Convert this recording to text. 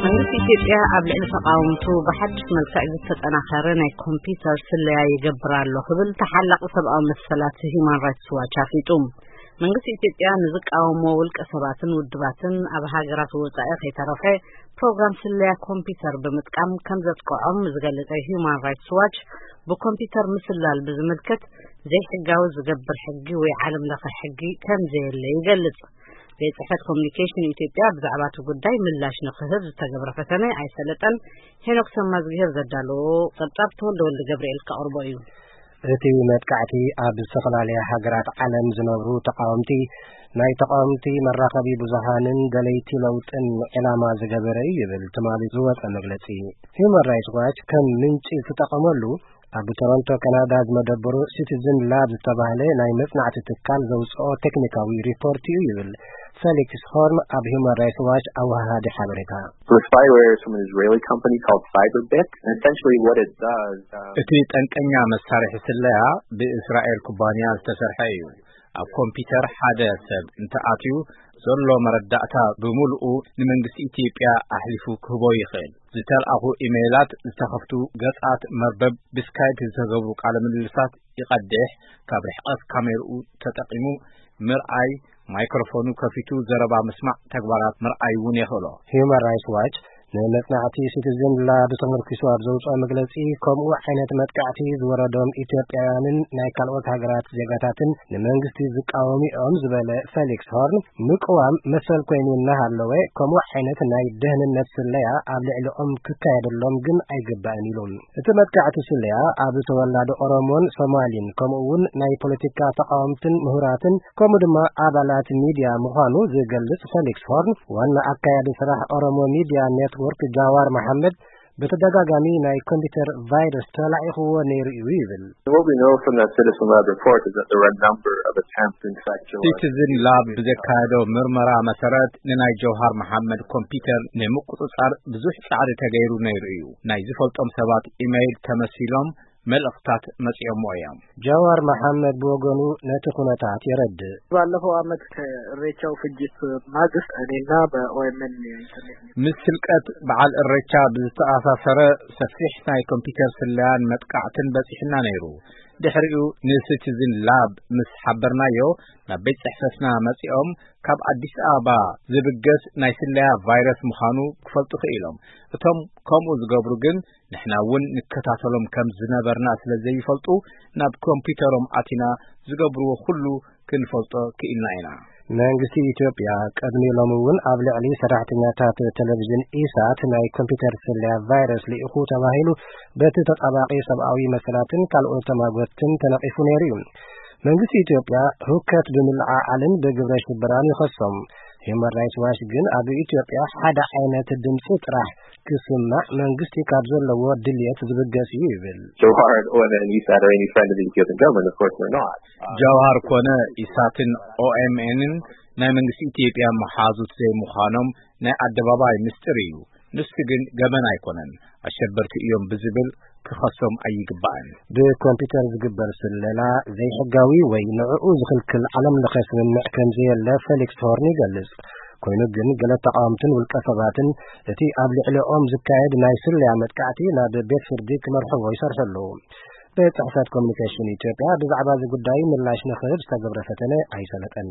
መንግስቲ ኢትዮጵያ ኣብ ልዕሊ ተቃወምቱ ብሓድሽ መልክዕ ዝተጠናኸረ ናይ ኮምፒውተር ስለያ ይገብር ኣሎ ክብል ተሓላቂ ሰብኣዊ መሰላት ሂዩማን ራይትስ ዋች ኣፍሊጡ። መንግስቲ ኢትዮጵያ ንዝቃወሞ ውልቀ ሰባትን ውድባትን ኣብ ሃገራት ወጻኢ ከይተረፈ ፕሮግራም ስለያ ኮምፒውተር ብምጥቃም ከም ዘጥቅዖም ዝገለጸ ሂዩማን ራይትስ ዋች፣ ብኮምፒውተር ምስላል ብዝምልከት ዘይሕጋዊ ዝገብር ሕጊ ወይ ዓለም ለኸ ሕጊ ከም ዘየለ ይገልጽ። ቤት ጽሕፈት ኮሚኒኬሽን ኢትዮጵያ ብዛዕባ እቲ ጉዳይ ምላሽ ንክህብ ዝተገብረ ፈተነ ኣይሰለጠን። ሄኖክ ሰማዝግሄር ዘዳለዎ ጸብጻብ ተወልደ ወልደ ገብርኤል ከቕርቦ እዩ። እቲ መጥቃዕቲ ኣብ ዝተፈላለያ ሃገራት ዓለም ዝነብሩ ተቃወምቲ፣ ናይ ተቃወምቲ መራኸቢ ብዙሃንን ደለይቲ ለውጥን ዕላማ ዝገበረ እዩ ይብል ትማሊ ዝወጸ መግለጺ። ሂዩማን ራይትስ ዋች ከም ምንጪ ዝተጠቐመሉ ኣብ ቶሮንቶ ካናዳ ዝመደበሩ ሲቲዝን ላብ ዝተባህለ ናይ መጽናዕቲ ትካል ዘውጽኦ ቴክኒካዊ ሪፖርት እዩ ይብል ፌሊክስ ሆርን ኣብ ሂዩማን ራይትስ ዋች ኣወሃሃዲ ሓበሬታ። So the spyware is from an Israeli company called Cyberbit. And essentially what it does, uh, እቲ ጠንቀኛ መሳርሒ ስለያ ብእስራኤል ኩባንያ ዝተሰርሐ እዩ። ኣብ ኮምፒውተር ሓደ ሰብ እንተኣትዩ ዘሎ መረዳእታ ብምልኡ ንመንግስቲ ኢትዮጵያ ኣሕሊፉ ክህቦ ይኽእል። ዝተልኣኹ ኢሜይላት፣ ዝተኸፍቱ ገጻት መርበብ፣ ብስካይፕ ዝተገብሩ ቃለ ምልልሳት ይቐድሕ፣ ካብ ርሕቐት ካሜርኡ ተጠቒሙ ምርኣይ፣ ማይክሮፎኑ ከፊቱ ዘረባ ምስማዕ ተግባራት ምርኣይ እውን የኽእሎ። ሂዩማን ራይትስ ዋች ንመጽናዕቲ ሲቲዝን ላብ ተመርኪሱ ኣብ ዘውጽኦ መግለጺ፣ ከምኡ ዓይነት መጥቃዕቲ ዝወረዶም ኢትዮጵያውያንን ናይ ካልኦት ሃገራት ዜጋታትን ንመንግስቲ ዝቃወሙ እዮም ዝበለ ፌሊክስ ሆርን፣ ምቅዋም መሰል ኮይኑ እናሃለወ፣ ከምኡ ዓይነት ናይ ደህንነት ስለያ ኣብ ልዕሊኦም ክካየደሎም ግን ኣይግባእን ኢሉ። እቲ መጥቃዕቲ ስለያ ኣብ ተወላዲ ኦሮሞን ሶማሊን ከምኡ እውን ናይ ፖለቲካ ተቃወምትን ምሁራትን ከምኡ ድማ ኣባላት ሚድያ ምዃኑ ዝገልጽ ፌሊክስ ሆርን፣ ዋና ኣካያዲ ስራሕ ኦሮሞ ሚድያ ኔትወርክ ጃዋር መሐመድ ብተደጋጋሚ ናይ ኮምፒውተር ቫይረስ ተላኢኽዎ ነይሩ እዩ ይብል። What we know from that Citizen Lab report is that there were a number of attempts to infect Joe. ሲቲዝን ላብ ብዘካየዶ ምርመራ መሰረት፣ ንናይ ጀውሃር መሓመድ ኮምፒውተር ንምቁጽጻር ብዙሕ ጻዕሪ ተገይሩ ነይሩ እዩ። ናይ ዝፈልጦም ሰባት ኢሜይል ተመሲሎም መልእኽታት መጺኦሞ እዮም። ጃዋር መሓመድ ብወገኑ ነቲ ኩነታት የረድእ። ባለፈው ዓመት ከኢሬቻው ፍጅት ማግስት እኔና በኦኤምኤን የኢንተርኔት ምስ ህልቀት በዓል እሬቻ ብዝተኣሳሰረ ሰፊሕ ናይ ኮምፒውተር ስለያን መጥቃዕትን በጺሕና ነይሩ። ድሕሪኡ ንሲቲዝን ላብ ምስ ሓበርናዮ፣ ናብ ቤት ጽሕፈትና መጺኦም፣ ካብ ኣዲስ ኣበባ ዝብገስ ናይ ስለያ ቫይረስ ምዃኑ ክፈልጡ ክኢሎም። እቶም ከምኡ ዝገብሩ ግን ንሕና እውን ንከታተሎም ከም ዝነበርና ስለ ዘይፈልጡ፣ ናብ ኮምፒውተሮም ኣቲና ዝገብርዎ ኩሉ ክንፈልጦ ክኢልና ኢና። መንግስቲ ኢትዮጵያ ቀድሚ ሎሚ እውን ኣብ ልዕሊ ሰራሕተኛታት ቴሌቪዥን ኢሳት ናይ ኮምፒውተር ስለያ ቫይረስ ልኢኹ ተባሂሉ በቲ ተጣባቂ ሰብኣዊ መሰላትን ካልኦት ተማጎትን ተነቒፉ ነይሩ እዩ። መንግስቲ ኢትዮጵያ ህውከት ብምልዓዓልን ብግብረ ሽበራን ይኸሶም። ሂዩማን ራይትስ ዋች ግን ኣብ ኢትዮጵያ ሓደ ዓይነት ድምፂ ጥራሕ ክስማዕ መንግስቲ ካብ ዘለዎ ድልየት ዝብገስ እዩ ይብል። Johar and O M N and E SAT are any friend of the Ethiopian government? Of course they're not. ጃውሃር ኮነ ኢሳትን ኦኤምኤንን ናይ መንግስቲ ኢትዮጵያ መሓዙት ዘይምዃኖም ናይ ኣደባባይ ምስጢር እዩ። ንሱ ግን ገበን ኣይኮነን። ኣሸበርቲ እዮም ብዝብል ክኸሶም ኣይግባእን። ብኮምፒውተር ዝግበር ስለላ ዘይሕጋዊ ወይ ንዕኡ ዝኽልክል ዓለም ለኸ ስምምዕ ከም ዘየለ ፌሊክስ ሆርን ይገልጽ። ኮይኑ ግን ገለ ተቃወምትን ውልቀ ሰባትን እቲ ኣብ ልዕሊኦም ዝካየድ ናይ ስለያ መጥቃዕቲ ናብ ቤት ፍርዲ ክመርሕዎ ይሰርሑ ኣለዉ። ቤት ጽሕፈት ኮሚኒኬሽን ኢትዮጵያ ብዛዕባ እዚ ጉዳይ ምላሽ ንኽህብ ዝተገብረ ፈተነ ኣይሰለጠን።